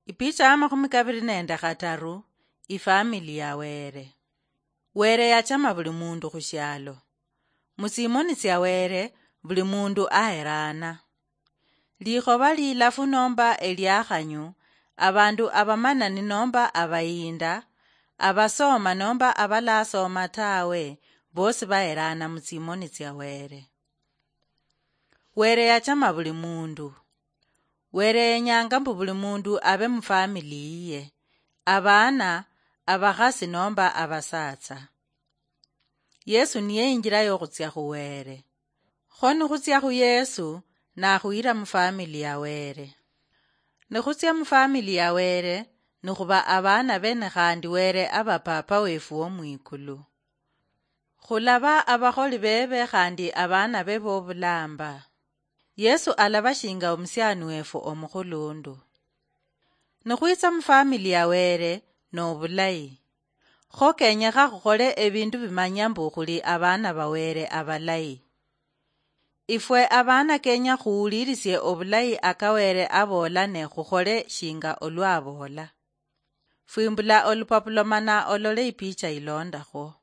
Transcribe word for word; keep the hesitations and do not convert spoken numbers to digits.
Ipicha ya makhumi kabiri nende khataru. Ifamili ya Were. Were yachama buli mundu khushialo. Musimoni tsia Were, buli mundu aherana. Likhoba lilafu nomba eliakhanyu, abandu abamanani nomba abayinda, abasoma nomba abalasoma tawe, bosi baherana mutsimoni tsia Were. Were yachama buli mundu. Were yenyanga mbu buli mundu abe mufamili yiye, abana, abakhasi nomba abasatsa. Yesu niye injira yokhutsia khu Were. Kho nikhutsia khu Yesu, nakhuyira mufamili ya Were. Nikhutsia mufamili ya Were, nikhuba abana bene khandi Were aba Papa wefu wo mwikulu. Khulaba abakholi bebe khandi abana be bobulamba. Yesu alaba shinga omusiani wefu omukhulundu. Nikhwitsa mufamili ya Were nobulayi. Kho kenyekha khukhole ebindu bimanya mbu khuli abana ba Were abalayi. Ifwe abana kenya khuwulirisie obulayi aka Were abola ne khukhole shinga olwa abola. Fwimbula olupapula mana olole ipicha ilondakho.